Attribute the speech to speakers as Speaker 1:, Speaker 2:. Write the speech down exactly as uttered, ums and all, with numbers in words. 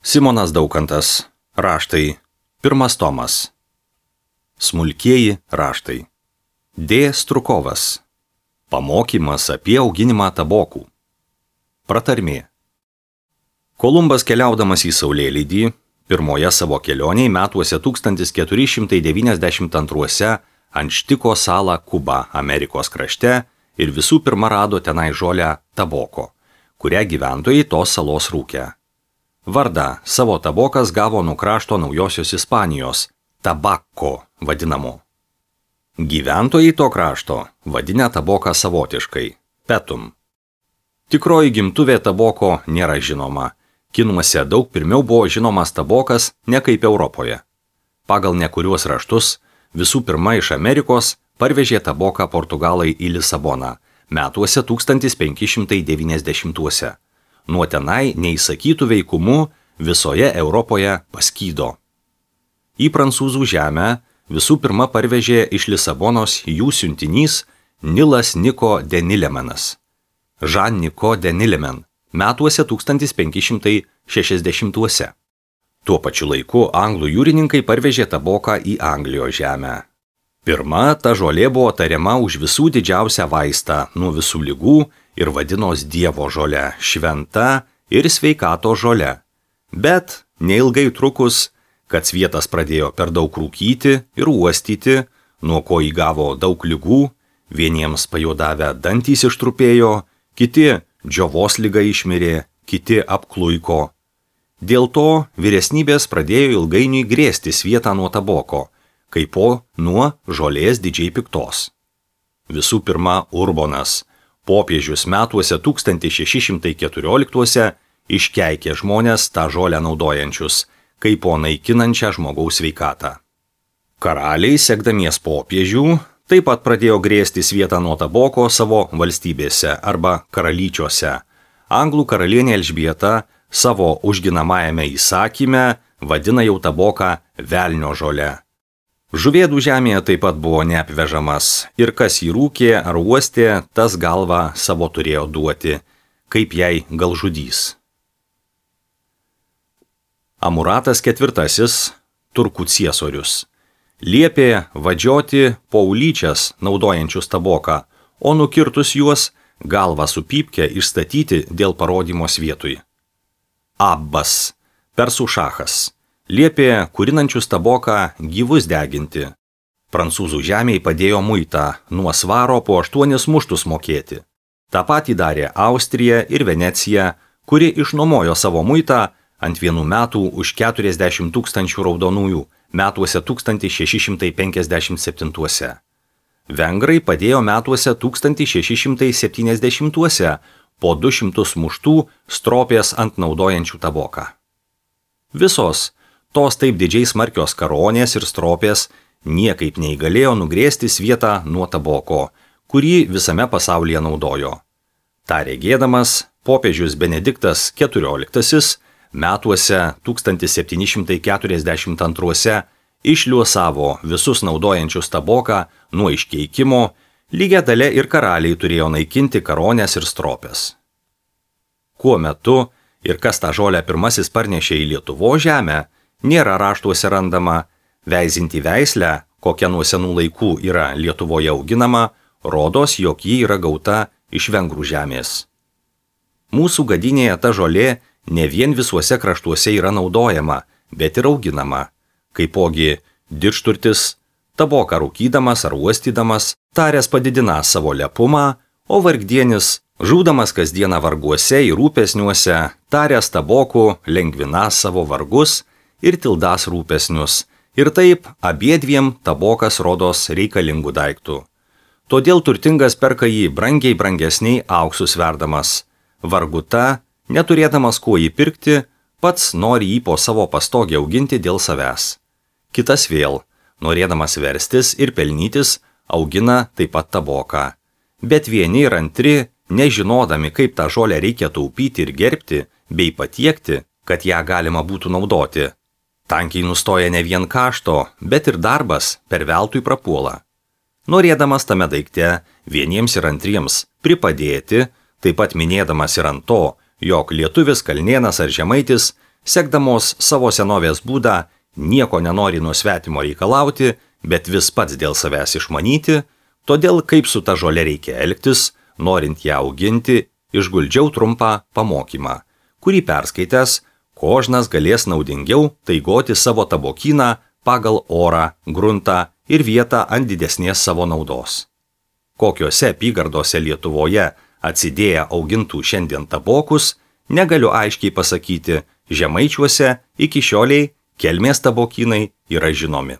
Speaker 1: Simonas Daukantas. Raštai. Pirmas tomas. Smulkieji raštai. D. Strukovas. Pamokymas apie auginimą tabokų. Pratarmė. Kolumbas keliaudamas į Saulėlydį, pirmoje savo kelionėje metuose tūkstantis keturi šimtai devyniasdešimt antruose Anštiko salą Kubą Amerikos krašte ir visų pirma rado tenai žolę taboko, kurią gyventojai tos salos rūkė. Vardą savo tabokas gavo nuo krašto Naujosios Ispanijos, tabako vadinamo. Gyventojai to krašto vadinę taboką savotiškai, petum. Tikroji gimtuvė taboko nėra žinoma. Kinuose daug pirmiau buvo žinomas tabokas ne kaip Europoje. Pagal nekuriuos raštus, visų pirma iš Amerikos parvežė taboką Portugalai į Lisaboną, metuose tūkstantis penki šimtai devyniasdešimtuose. Nuo tenai neįsakytų veikumų visoje Europoje paskydo. Į prancūzų žemę visų pirma parvežė iš Lisabonos jų siuntinys Nilas Niko de Nilemanas. Jean Niko de Nileman, metuose tūkstantis penki šimtai šešiasdešimtuose. Tuo pačiu laiku anglų jūrininkai parvežė taboką į Anglijos žemę. Pirma, ta žolė buvo tariama už visų didžiausią vaistą nuo visų ligų ir vadinos Dievo žole, šventa ir sveikato žole. Bet neilgai trukus, kad svietas pradėjo per daug rūkyti ir uostyti, nuo ko įgavo daug ligų, vieniems pajodavę dantys ištrupėjo, kiti džiovos liga išmirė, kiti apkluiko. Dėl to vyresnybės pradėjo ilgainiui grėsti svietą nuo taboko, kaipo nuo žolės didžiai piktos. Visų pirma, Urbonas, popiežius metuose tūkstantis šeši šimtai keturioliktuose, iškeikė žmonės tą žolę naudojančius, kaipo naikinančią žmogaus sveikatą. Karaliai, sekdamies popiežių, taip pat pradėjo grėsti svietą nuo taboko savo valstybėse arba karalyčiuose. Anglų karalienė Elžbieta savo užginamajame įsakyme vadina jau taboką velnio žole. Žuvėdų žemėje taip pat buvo neapvežamas ir kas jį rūkė ar uostė, tas galvą savo turėjo duoti, kaip jai galžudys. Amuratas ketvirtasis, turkų ciesorius, liepė vadžioti paulyčias naudojančius taboką, o nukirtus juos galvą su pypke išstatyti dėl parodymo svietui. Abbas, persų šachas, liepė kurinančius taboką gyvus deginti. Prancūzų žemėje padėjo muitą nuo svaro po aštuonis muštus mokėti. Ta patį darė Austrija ir Venecija, kuri išnuomojo savo muitą ant vienų metų už keturiasdešimt tūkstančių raudonųjų, metuose tūkstantis šeši šimtai penkiasdešimt septintuose. Vengrai padėjo metuose tūkstantis šeši šimtai septyniasdešimtuose po du šimtus muštų stropės ant naudojančių taboką. Visos tos taip didžiai smarkios karonės ir stropės niekaip neįgalėjo nugrėsti svietą nuo taboko, kurį visame pasaulyje naudojo. Ta regėdamas, popiežius Benediktas keturioliktasis metuose tūkstantis septyni šimtai keturiasdešimt antruose išliuosavo visus naudojančius taboką nuo iškeikimo, lygia dalia ir karaliai turėjo naikinti karonės ir stropės. Kuo metu ir kas tą žolę pirmasis parnešė į Lietuvos žemę, nėra raštuose randama, veizinti veislę, kokia nuo senų laikų yra Lietuvoje auginama, rodos, jog ji yra gauta iš vengrų žemės. Mūsų gadynėje ta žolė ne vien visuose kraštuose yra naudojama, bet ir auginama. Kaipogi didžturtis, taboką rūkydamas ar uostydamas, taręs padidina savo lepumą, o vargdienis, žūdamas kasdieną varguose ir rūpesniuose, taręs tabokų lengvina savo vargus ir tildas rūpesnius, ir taip abiedviem tabokas rodos reikalingų daiktų. Todėl turtingas perka jį brangiai brangesniai auksu sverdamas. Varguta, neturėdamas kuo jį pirkti, pats nori jį po savo pastogę auginti dėl savęs. Kitas vėl, norėdamas verstis ir pelnytis, augina taip pat taboką. Bet vieni ir antri, nežinodami, kaip tą žolę reikia taupyti ir gerbti, bei patiekti, kad ją galima būtų naudoti. Tankiai nustoja ne vien kašto, bet ir darbas per veltui prapuola. Norėdamas tame daikte vieniems ir antriems pripadėti, taip pat minėdamas ir ant to, jog lietuvis, kalnėnas ar žemaitis sekdamos savo senovės būdą, nieko nenori nuo svetimo reikalauti, bet vis pats dėl savęs išmanyti, todėl kaip su ta žole reikia elgtis, norint ją auginti, išguldžiau trumpą pamokymą, kurį perskaitęs, kožnas galės naudingiau taigoti savo tabokyną pagal orą, gruntą ir vietą ant didesnės savo naudos. Kokiose apygardose Lietuvoje atsidėję augintų šiandien tabokus, negaliu aiškiai pasakyti, Žemaičiuose iki šioliai kelmės tabokynai yra žinomi.